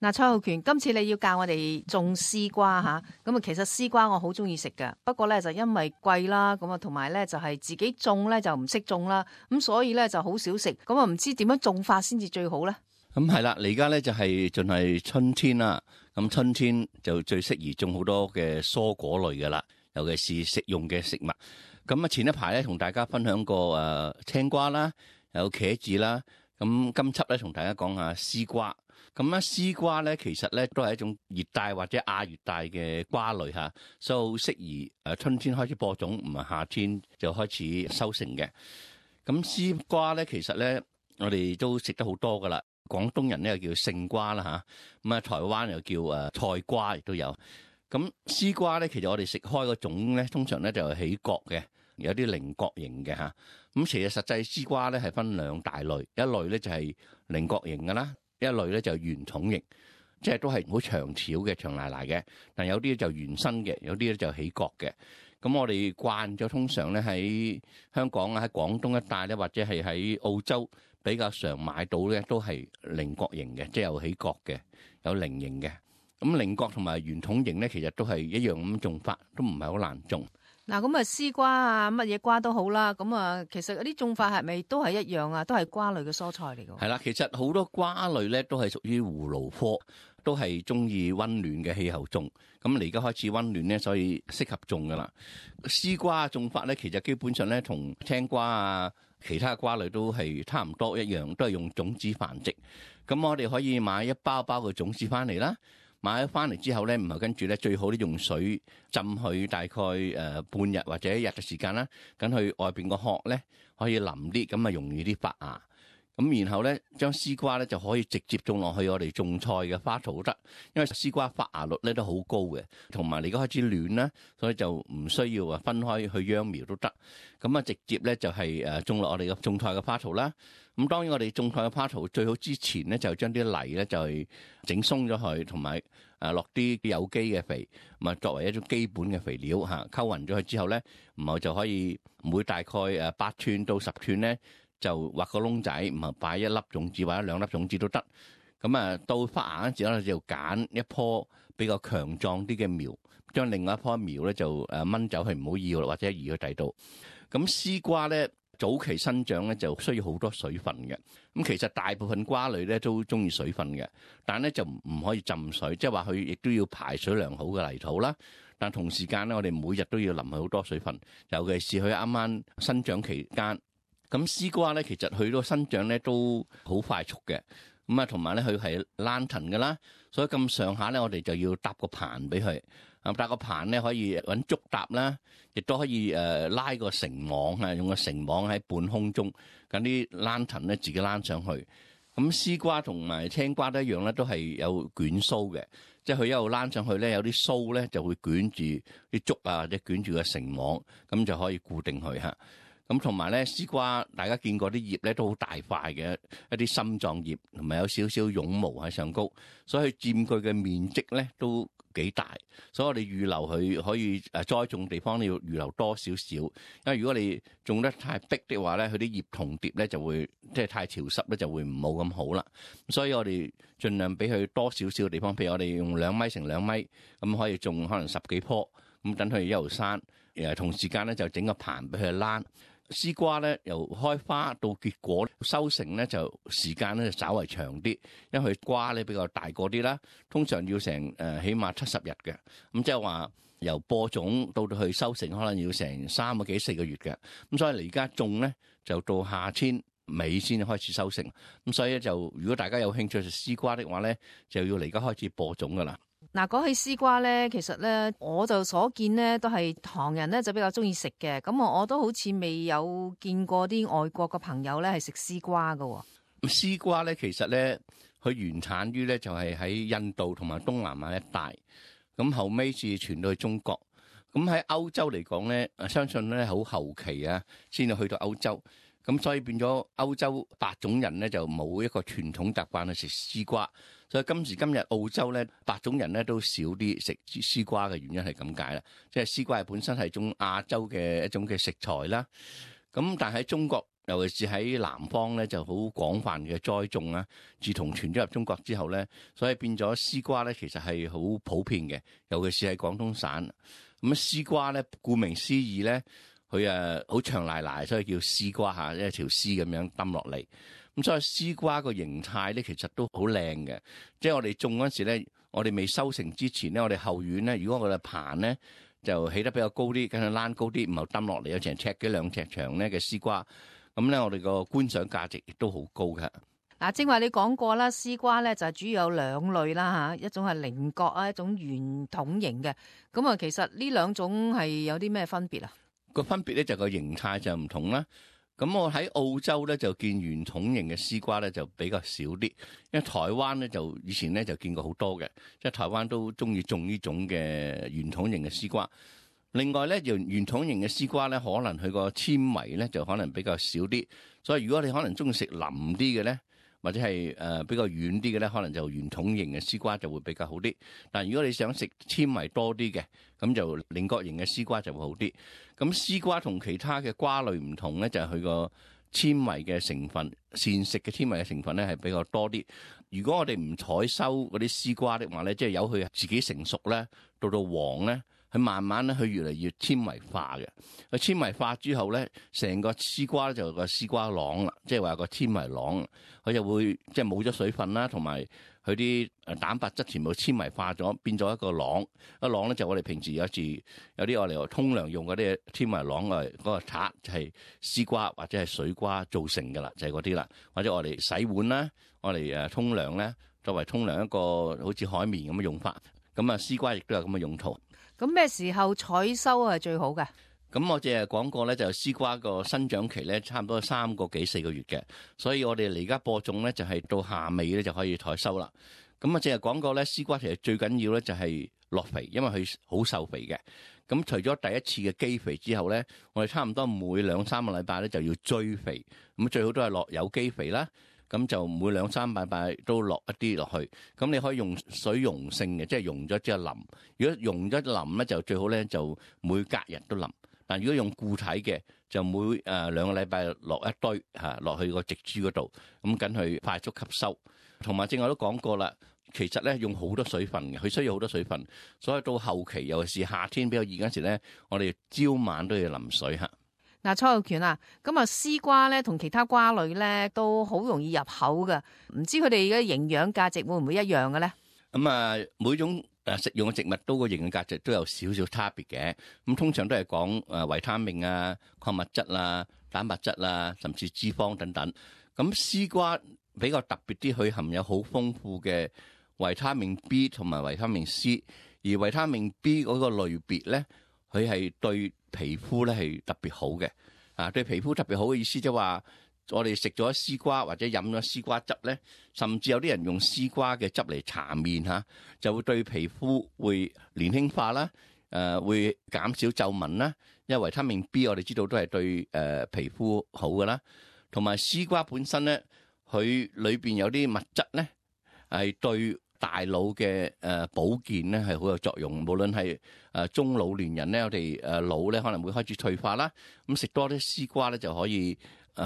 嗱，蔡浩權，今次你要教我哋種絲瓜吓，咁啊，其實絲瓜我好中意食㗎，不過咧就因為貴啦，咁啊，同埋咧就係自己種咧就唔識種啦，咁所以咧就好少食，咁啊唔知點樣種法先至最好咧？咁係啦，你而家咧就係盡係春天啦，咁春天就最適宜種好多嘅蔬果類噶啦，尤其是食用嘅食物。咁啊，前一排咧同大家分享過青瓜啦，有茄子啦，咁今輯咧同大家講下絲瓜。咁咧絲瓜咧其實咧都係一種熱帶或者亞熱帶嘅瓜類嚇，所以好適宜春天開始播種，唔係夏天就開始收成嘅。咁絲瓜咧其實咧我哋都食得好多噶啦，廣東人咧又叫勝瓜啦嚇，咁啊台灣又叫菜瓜亦都有。咁絲瓜咧其實我哋食開個種咧通常咧就係起角嘅，有啲菱角形嘅嚇。咁其實實際絲瓜咧係分兩大類，一類咧就係菱角形嘅啦。一類咧就圓筒形，即係都係好長條嘅、長賴賴嘅。但有啲就圓身嘅，有啲咧就起角嘅。咁我哋慣咗通常咧喺香港啊、喺廣東一帶咧，或者係喺澳洲比較常買到咧，都係菱角形嘅，即係有起角嘅，有菱形嘅。咁菱角同埋圓筒形咧，其實都係一樣咁種法，都唔係好難種。嗱，咁啊絲瓜啊，乜嘢瓜都好啦，咁啊其實嗰啲種法係咪都係一樣啊？都係瓜類嘅蔬菜嚟㗎？係啦，其實好多瓜類咧都係屬於葫蘆科，都係中意溫暖嘅氣候種。咁你而家開始溫暖咧，所以適合種㗎啦。絲瓜種法咧，其實基本上咧同青瓜啊、其他瓜類都係差唔多一樣，都係用種子繁殖。咁我哋可以買一包包嘅種子翻嚟啦。買咗翻嚟之後咧，唔係跟住咧，最好咧用水浸佢大概半日或者一日嘅時間啦，等佢外邊個殼咧可以腍啲，咁啊容易啲發芽。咁然後咧將絲瓜咧就可以直接種落去我哋種菜嘅花槽都得，因為絲瓜發芽率咧都好高嘅，同埋你而家開始暖啦，所以就唔需要分開去秧苗都得。咁啊直接咧就係種落我哋嘅種菜嘅花槽啦。咁當然我哋種菜嘅花槽最好之前咧就將啲泥咧就係整鬆咗佢，同埋落啲有機嘅肥，咁啊作為一種基本嘅肥料嚇，溝勻咗佢之後咧，然後就可以每大概8寸到10寸咧。就挖個窿仔，唔係擺一粒種子或者2粒種子都得。咁啊，到發芽嗰陣時咧，就揀一棵比較強壯啲嘅苗，將另外一棵苗咧就掹走佢，唔好要啦，或者移去第度。咁絲瓜咧早期生長咧就需要好多水分嘅。咁其實大部分瓜類咧都中意水分嘅，但係咧就唔可以浸水，即係話佢亦都要排水良好嘅泥土啦。但同時間咧，我哋每日都要淋佢好多水分，尤其是佢啱啱生長期間。咁絲瓜咧，其實佢個生長咧都好快速嘅，咁啊同埋咧佢係爛藤嘅啦，所以咁上下咧，我哋就要搭個棚俾佢，搭個棚咧可以揾竹搭啦，亦都可以拉個繩網啊，用個繩網喺半空中，咁啲爛藤咧自己躝上去。咁絲瓜同埋青瓜都一樣咧，都係有捲鬚嘅，即係佢一路躝上去咧，有啲鬚咧就會捲住啲竹啊，或者捲住個繩網，咁就可以固定佢嚇。咁同埋咧，絲瓜大家見過啲葉咧都好大塊嘅，一啲心狀葉，同埋有少少絨毛喺上高，所以佔據嘅面積咧都幾大。所以我哋預留佢可以栽種地方，你要預留多少少，因為如果你種得太逼的話咧，佢啲葉同疊咧就會即係太潮濕咧，就會唔冇咁好啦。所以我哋盡量俾佢多少少嘅地方，譬如我哋用2米乘2米，咁可以種可能10幾棵，咁等佢一路生，同時間咧就整個棚俾佢躝。絲瓜咧由開花到結果收成咧就時間咧就稍為長啲，因為佢瓜咧比較大個啲啦，通常要成起碼70日嘅，咁即係話由播種到去收成可能要成3個幾4個月嘅，咁所以你而家種咧就到夏天尾先開始收成，咁所以咧就如果大家有興趣食絲瓜的話咧，就要嚟而家開始播種噶啦。嗱，講起絲瓜咧，其實咧我就所見咧都係唐人咧就比較中意食嘅，咁我都好似未有見過啲外國嘅朋友咧係食絲瓜㗎。絲瓜咧其實咧佢原產於咧就係喺印度同埋東南亞一帶，咁後尾至傳到去中國。咁喺歐洲嚟講咧，相信咧好後期啊先至去到歐洲。咁所以變咗歐洲白種人咧就冇一個傳統習慣去食絲瓜，所以今時今日澳洲咧白種人咧都少啲食絲瓜嘅原因係咁解啦，即係絲瓜係本身係一種亞洲嘅一種嘅食材啦。咁但係喺中國尤其是喺南方咧就好廣泛嘅栽種啦。自從傳咗入中國之後咧，所以變咗絲瓜咧其實係好普遍嘅，尤其是喺廣東省。咁絲瓜咧，顧名思義咧，佢好長賴賴，所以叫絲瓜嚇，一條絲咁樣揼落嚟。咁所以絲瓜個形態咧，其實都好靚嘅。即係我哋種嗰陣時咧，我哋未收成之前咧，我哋後院咧，如果我哋棚咧就起得比較高啲，跟住躝高啲，然後揼落嚟有成尺幾兩尺長咧嘅絲瓜，咁咧我哋個觀賞價值亦都好高嘅。嗱，正話你講過啦，絲瓜咧就主要有兩類啦嚇，一種係菱角啊，一種圓筒形嘅。咁啊，其實呢兩種係有啲咩分別啊？個分別咧就個形態就唔同啦。咁我喺澳洲咧就見圓筒形嘅絲瓜咧就比較少啲，因為台灣咧就以前咧就見過好多嘅，即係台灣都中意種呢種嘅圓筒形嘅絲瓜。另外咧，圓筒形嘅絲瓜咧，可能佢個纖維咧就可能比較少啲，所以如果你可能中意食腍啲嘅咧，或者係比較軟啲嘅咧，可能就圓筒形嘅絲瓜就會比較好啲。但如果你想食纖維多啲嘅，咁就菱角形嘅絲瓜就會好啲。咁絲瓜同其他嘅瓜類唔同咧，就係佢個纖維嘅成分，膳食嘅纖維嘅成分咧係比較多啲。如果我哋唔採收嗰啲絲瓜的話咧，即係由佢自己成熟咧，到黃咧。佢慢慢咧，佢越嚟越纖維化嘅。佢纖維化之後咧，成個絲瓜咧就有個絲瓜囊啦，即係話個纖維囊，佢就會即係冇咗水分啦，同埋佢啲蛋白質全部纖維化咗，變咗一個囊。一囊咧就我哋平時有啲我哋沖涼用嗰啲纖維囊嗰個刷就係絲瓜或者係水瓜造成㗎啦，就係嗰啲啦。或者我哋洗碗啦，我哋沖涼咧，作為沖涼一個好似海綿咁嘅用法。咁啊，絲瓜亦都有咁嘅用途。咁咩時候採收係最好嘅？咁我淨係講過咧，就絲瓜個生長期咧，差唔多3個幾4個月嘅，所以我哋而家播種咧就係到夏尾咧就可以採收啦。咁啊，淨係講過咧，絲瓜其實最緊要咧就係落肥，因為佢好受肥嘅。咁除咗第一次嘅基肥之後咧，我哋差唔多每2-3個禮拜咧就要追肥，咁最好都係落有機肥啦。咁就每2-3個禮拜都落一啲落去，咁你可以用水溶性嘅，即係溶咗之後淋。如果溶咗淋咧，就最好咧就每隔日都淋。但如果用固體嘅，就每2個禮拜落一堆落去個植株嗰度，咁緊去快速吸收。同埋正我都講過啦，其實咧用好多水分嘅，佢需要好多水分，所以到後期尤其是夏天比較熱嗰時咧，我哋朝晚都要淋水嚇。嗱，蔡浩權啊，咁啊絲瓜咧同其他瓜類咧都好容易入口噶，唔知佢哋嘅營養價值會唔會一樣嘅咧？咁啊，每種食用嘅植物都個營養價值都有少少差別嘅。咁通常都係講維他命啊、礦物質啊、蛋白質啊，甚至脂肪等等。咁絲瓜比較特別啲，佢含有好豐富嘅維他命 B 同埋維他命 C， 而維他命 B 嗰個類別咧，佢係對皮膚咧係特別好嘅。對皮膚特別好嘅意思即係話，我哋食咗絲瓜或者飲咗絲瓜汁咧，甚至有啲人用絲瓜嘅汁嚟搽面就會對皮膚會年輕化啦，會減少皺紋啦。因為維他命 B 我哋知道都係對皮膚好㗎啦，同埋絲瓜本身咧，佢裏邊有啲物質咧係對大腦嘅保健咧係好有作用，無論係中老年人咧，我哋腦咧可能會開始退化啦，咁食多啲絲瓜咧就可以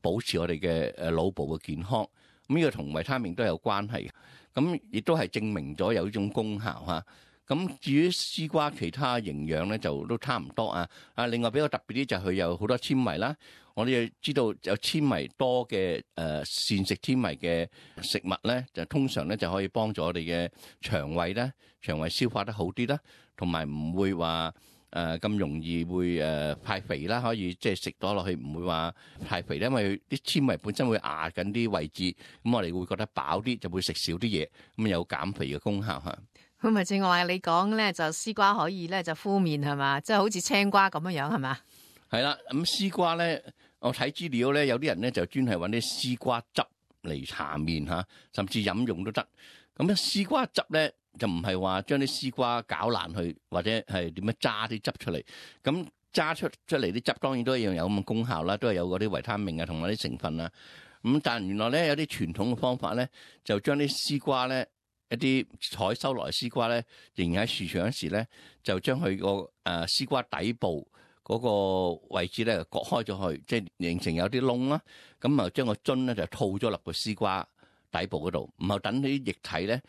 保持我哋嘅腦部嘅健康。咁呢個同維他命都有關係嘅，咁亦都係證明咗有呢種功效嚇。咁至於絲瓜其他營養咧就都差唔多啊。另外比較特別啲就係佢有好多纖維啦。我哋知道有纖維多嘅膳食纖維嘅食物咧，就通常咧就可以幫助我哋嘅腸胃啦，腸胃消化得好啲啦，同埋唔會話咁容易會太肥啦，可以即係食多落去唔會話太肥咧，因為啲纖維本身會壓緊啲位置，咁我哋會覺得飽啲，就會食少啲嘢，咁有減肥嘅功效嚇。咁咪正話你講咧，就絲瓜可以咧就敷面係嘛，即係好似青瓜咁樣係嘛？係啦，咁絲瓜咧，我睇資料咧，有啲人咧就專係揾啲絲瓜汁嚟搽面嚇，甚至飲用都得。咁咧絲瓜汁咧就唔係話將啲絲瓜攪爛去，或者係點樣揸啲汁出嚟。咁揸出嚟啲汁當然都一樣有咁嘅功效啦，都係有嗰啲維他命啊同埋啲成分啊。咁但原來咧有啲傳統嘅方法咧，就將啲絲瓜咧一啲採收落嚟絲瓜咧，仍然喺樹上嗰時咧，就將佢個絲瓜底部嗰個位置咧割開咗去，即係形成有啲窿啦。咁啊，將個樽咧就套咗落個絲瓜底部嗰度，然後等啲液體咧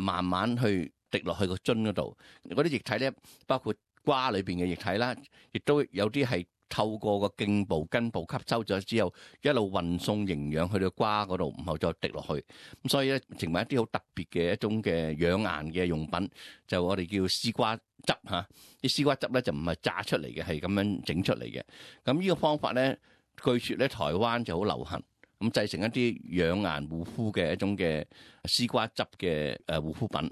慢慢去滴落去個樽嗰度。嗰啲液體咧包括瓜裏邊嘅液體啦，亦都有啲係透過個莖部根部吸收咗之後，一路運送營養去到瓜嗰度，然後再滴落去。咁所以咧，成為一啲好特別嘅一種嘅養顏嘅用品，就我哋叫絲瓜汁嚇。啲絲瓜汁咧就唔係榨出嚟嘅，係咁樣整出嚟嘅。咁呢個方法咧，據說咧台灣就好流行，咁製成一啲養顏護膚嘅一種嘅絲瓜汁嘅護膚品。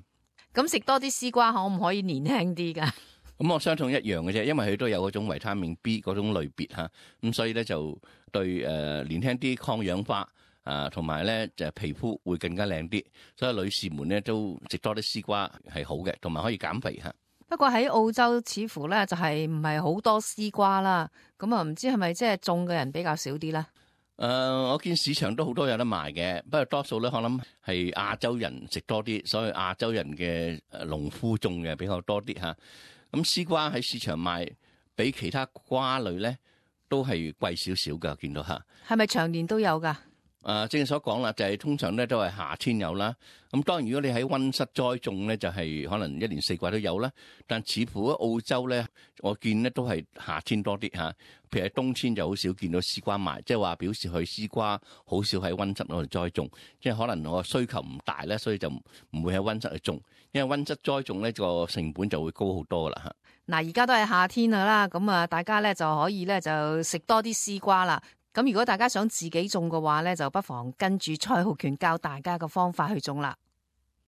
咁食多啲絲瓜可唔可以年輕啲㗎？咁我相信一樣嘅啫，因為佢都有嗰種維他命 B 嗰種類別嚇，咁所以咧就對年輕啲抗氧化同埋咧就皮膚會更加靚啲，所以女士們咧都食多啲絲瓜係好嘅，同埋可以減肥嚇。不過喺澳洲似乎咧就係唔係好多絲瓜啦，咁啊唔知係咪即係種嘅人比較少啲咧？我見市場都好多有得賣嘅，不過多數咧可能係亞洲人食多啲，所以亞洲人嘅農夫種嘅比較多啲嚇。咁絲瓜喺市場賣，比其他瓜類咧都係貴少少㗎，見到嚇。係咪長年都有㗎？正所講啦，就係通常咧都係夏天有啦。咁當然如果你喺溫室栽種咧，就係可能一年四季都有啦。但似乎喺澳洲咧，我見咧都係夏天多啲嚇。譬如喺冬天就好少見到絲瓜賣，即係話表示佢絲瓜好少喺溫室嗰度栽種，即係可能我需求唔大咧，所以就唔會喺溫室去種。因為溫室栽種咧個成本就會高好多啦嚇。嗱，而家都係夏天啦，咁啊大家咧就可以咧就食多啲絲瓜啦。咁如果大家想自己種嘅話咧，就不妨跟住蔡浩權教大家嘅方法去種啦。